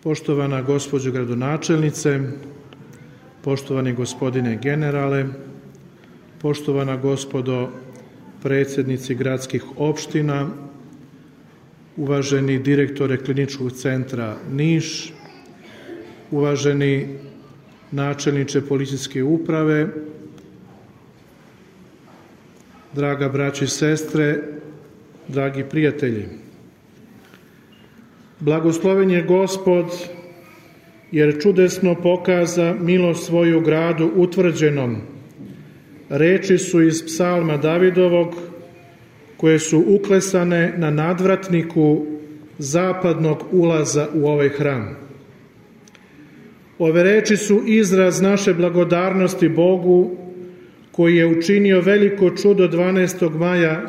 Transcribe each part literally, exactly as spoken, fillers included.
Poštovana gospođo gradonačelnice, poštovani gospodine generale, poštovana gospodo predsjednici gradskih opština, uvaženi direktore Kliničkog centra Niš, uvaženi načelniče policijske uprave, draga braćo i sestre, dragi prijatelji. Blagosloven je Gospod, jer čudesno pokaza milost svoju gradu utvrđenom. Reči su iz psalma Davidovog, koje su uklesane na nadvratniku zapadnog ulaza u ovaj hram. Ove reči su izraz naše blagodarnosti Bogu, koji je učinio veliko čudo dvanaestog maja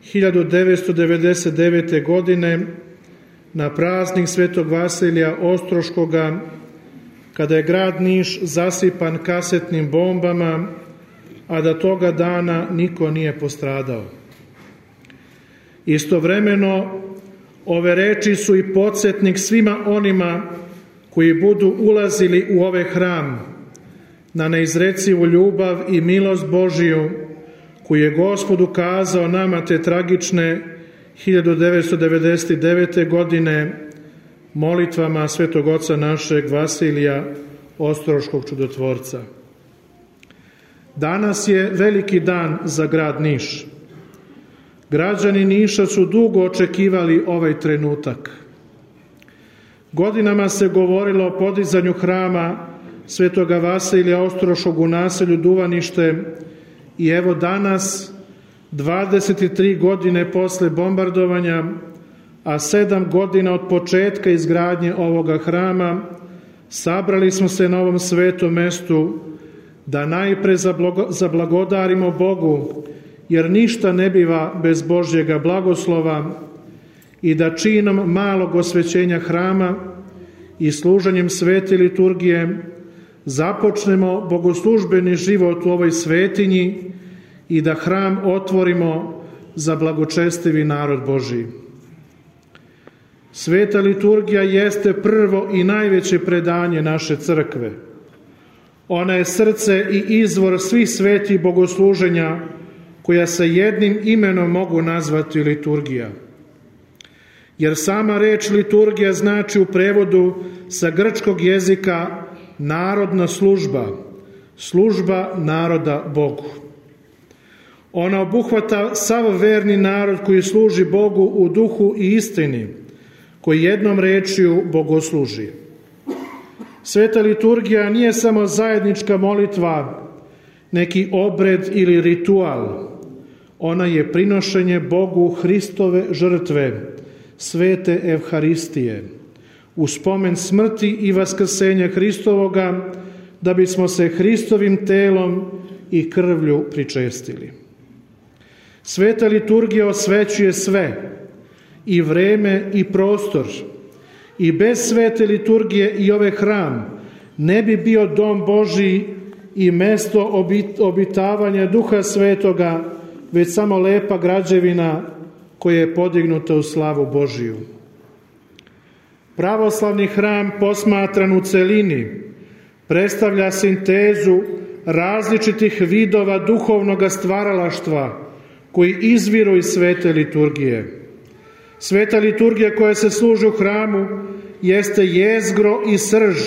hiljadu devetsto devedeset devete. godine na praznik Svetog Vasilija Ostroškoga, kada je grad Niš zasipan kasetnim bombama, a da toga dana niko nije postradao. Istovremeno, ove reči su i podsjetnik svima onima koji budu ulazili u ovaj hram na neizrecivu ljubav i milost Božiju koju je Gospod ukazao nama te tragične hiljadu devetsto devedeset devete. godine molitvama Svetog Oca našeg Vasilija Ostroškog čudotvorca. Danas je veliki dan za grad Niš. Građani Niša su dugo očekivali ovaj trenutak. Godinama se govorilo o podizanju hrama Svetoga Vasilija Ostroškog u naselju Duvanište i evo danas, dvadeset tri godine posle bombardovanja, a sedam godina od početka izgradnje ovoga hrama, sabrali smo se na ovom svetom mestu da najpre zablagodarimo Bogu, jer ništa ne biva bez Božjega blagoslova, i da činom malog osvećenja hrama i služenjem svete liturgije započnemo bogoslužbeni život u ovoj svetinji i da hram otvorimo za blagočestivi narod Božji. Sveta liturgija jeste prvo i najveće predanje naše crkve. Ona je srce i izvor svih svetih bogosluženja koja se jednim imenom mogu nazvati liturgija. Jer sama reč liturgija znači u prevodu sa grčkog jezika narodna služba, služba naroda Bogu. Ona obuhvata sav verni narod koji služi Bogu u duhu i istini, koji jednom rečju bogosluži. Sveta liturgija nije samo zajednička molitva, neki obred ili ritual. Ona je prinošenje Bogu Hristove žrtve, svete Evharistije, u spomen smrti i vaskrsenja Hristovoga, da bismo se Hristovim telom i krvlju pričestili. Sveta liturgija osvećuje sve, i vreme i prostor, i bez svete liturgije i ovaj hram ne bi bio dom Božji i mesto obitavanja Duha Svetoga, već samo lepa građevina koja je podignuta u slavu Božiju. Pravoslavni hram posmatran u celini predstavlja sintezu različitih vidova duhovnog stvaralaštva koji izviru iz svete liturgije. Sveta liturgija koja se služi u hramu jeste jezgro i srž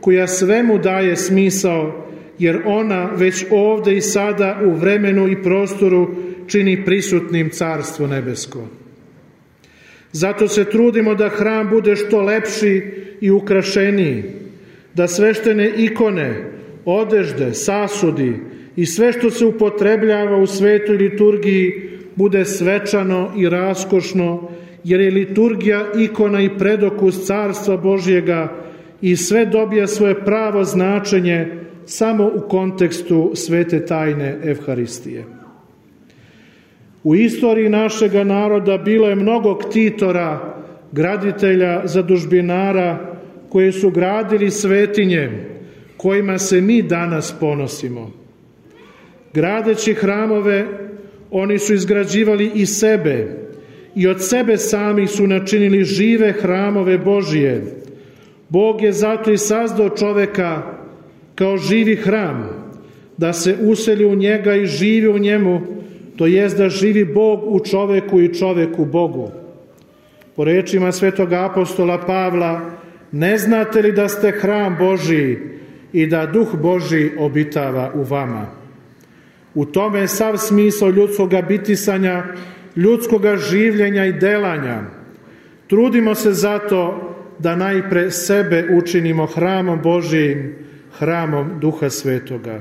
koja svemu daje smisao, jer ona već ovde i sada u vremenu i prostoru čini prisutnim Carstvo nebesko. Zato se trudimo da hram bude što lepši i ukrašeniji, da sveštene ikone, odežde, sasudi i sve što se upotrebljava u svetoj liturgiji bude svečano i raskošno, jer je liturgija ikona i predokus Carstva Božjega i sve dobija svoje pravo značenje samo u kontekstu svete tajne Evharistije. U istoriji našega naroda bilo je mnogo ktitora, graditelja, zadužbinara koji su gradili svetinje kojima se mi danas ponosimo. Gradeći hramove, oni su izgrađivali i sebe i od sebe sami su načinili žive hramove Božije, Bog je zato i sazdao čoveka kao živi hram, da se useli u njega i živi u njemu, to jest da živi Bog u čoveku i čovek u Bogu. Po rečima svetog apostola Pavla, ne znate li da ste hram Božiji i da Duh Božiji obitava u vama? U tome je sav smisao ljudskoga bitisanja, ljudskoga življenja i delanja. Trudimo se zato da najpre sebe učinimo hramom Božijim, hramom Duha Svetoga.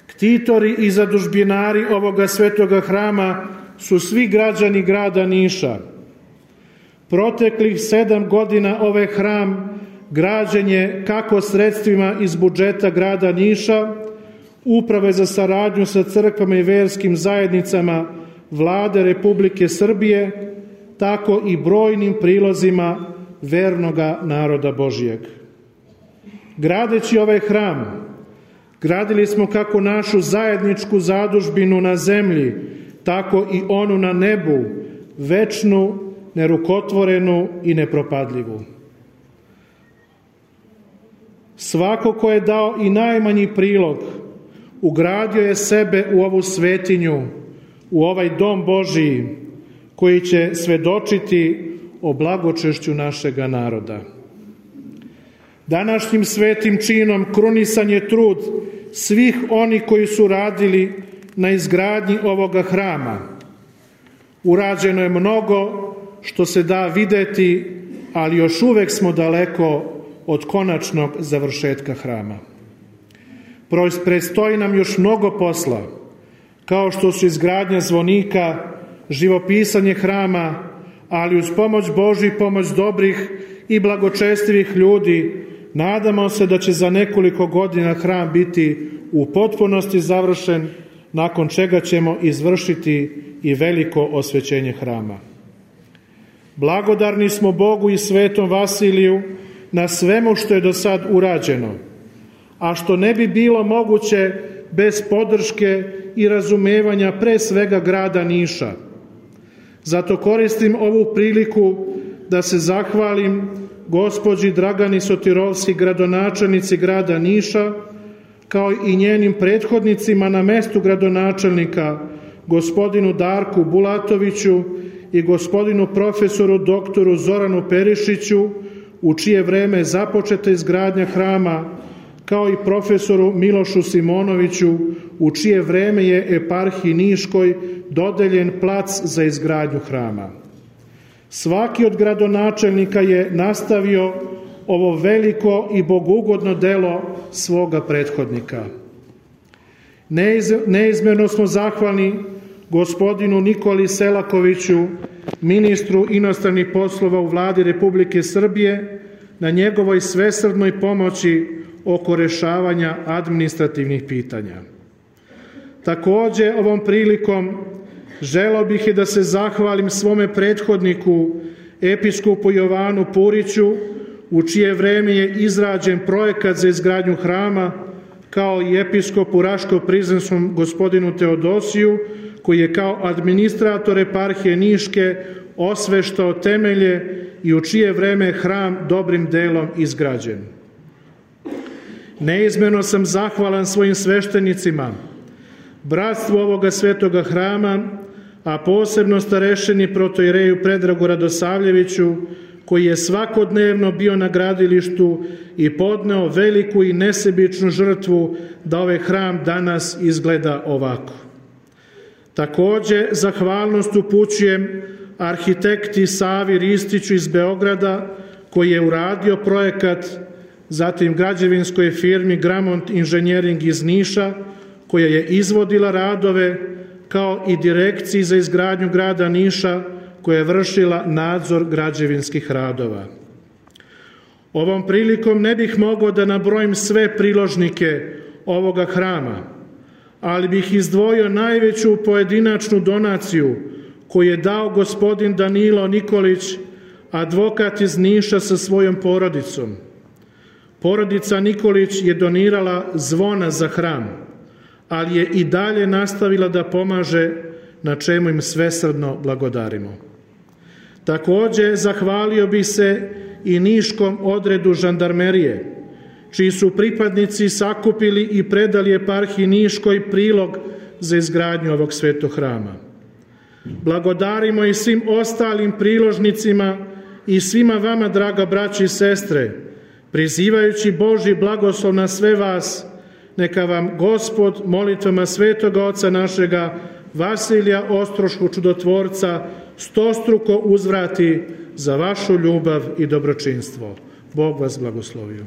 Ktitori i zadužbinari ovoga svetoga hrama su svi građani grada Niša. Proteklih sedam godina ovaj hram građen je kako sredstvima iz budžeta grada Niša, Uprave za saradnju sa crkvama i verskim zajednicama Vlade Republike Srbije, tako i brojnim prilozima vernoga naroda Božijeg. Gradeći ovaj hram, gradili smo kako našu zajedničku zadužbinu na zemlji, tako i onu na nebu, večnu, nerukotvorenu i nepropadljivu. Svako ko je dao i najmanji prilog, ugradio je sebe u ovu svetinju, u ovaj dom Božiji, koji će svedočiti o blagočešću našega naroda. Današnjim svetim činom krunisan je trud svih oni koji su radili na izgradnji ovoga hrama. Urađeno je mnogo što se da videti, ali još uvek smo daleko od konačnog završetka hrama. Predstoji nam još mnogo posla, kao što su izgradnja zvonika, živopisanje hrama, ali uz pomoć Božju i pomoć dobrih i blagočestivih ljudi, nadamo se da će za nekoliko godina hram biti u potpunosti završen, nakon čega ćemo izvršiti i veliko osvećenje hrama. Blagodarni smo Bogu i svetom Vasiliju na svemu što je do sad urađeno, a što ne bi bilo moguće bez podrške i razumevanja pre svega grada Niša. Zato koristim ovu priliku da se zahvalim gospođi Dragani Sotirovski, gradonačelnici grada Niša, kao i njenim prethodnicima na mestu gradonačelnika, gospodinu Darku Bulatoviću i gospodinu profesoru doktoru Zoranu Perišiću, u čije vreme je započeta izgradnja hrama, kao i profesoru Milošu Simonoviću, u čije vreme je eparhiji Niškoj dodeljen plac za izgradnju hrama. Svaki od gradonačelnika je nastavio ovo veliko i bogugodno delo svoga prethodnika. Neizmjerno smo zahvalni gospodinu Nikoli Selakoviću, ministru inostranih poslova u Vladi Republike Srbije, na njegovoj svesrdnoj pomoći oko rešavanja administrativnih pitanja. Takođe, ovom prilikom želeo bih i da se zahvalim svome prethodniku, episkopu Jovanu Puriću, u čije vreme je izrađen projekat za izgradnju hrama, kao i episkopu Raško-Prizrenskom gospodinu Teodosiju, koji je kao administrator eparhije Niške osveštao temelje i u čije vreme je hram dobrim delom izgrađen. Neizmjerno sam zahvalan svojim sveštenicima, bratstvu ovoga svetoga hrama, a posebno starešini protoijereju Predragu Radosavljeviću, koji je svakodnevno bio na gradilištu i podneo veliku i nesebičnu žrtvu da ovaj hram danas izgleda ovako. Takođe, zahvalnost upućujem arhitekti Savi Ristiću iz Beograda, koji je uradio projekat, zatim građevinskoj firmi Gramont inženjering iz Niša, koja je izvodila radove, kao i direkciji za izgradnju grada Niša, koja je vršila nadzor građevinskih radova. Ovom prilikom ne bih mogao da nabrojim sve priložnike ovoga hrama, ali bih izdvojio najveću pojedinačnu donaciju koju je dao gospodin Danilo Nikolić, advokat iz Niša sa svojom porodicom. Porodica Nikolić je donirala zvona za hram, ali je i dalje nastavila da pomaže, na čemu im svesrdno blagodarimo. Takođe, zahvalio bih se i niškom odredu žandarmerije, čiji su pripadnici sakupili i predali eparhiji Niškoj prilog za izgradnju ovog svetog hrama. Blagodarimo i svim ostalim priložnicima i svima vama, draga braći i sestre, prizivajući Božji blagoslov na sve vas, neka vam Gospod molitvama svetoga oca našega Vasilija Ostroškog čudotvorca stostruko uzvrati za vašu ljubav i dobročinstvo. Bog vas blagoslovio.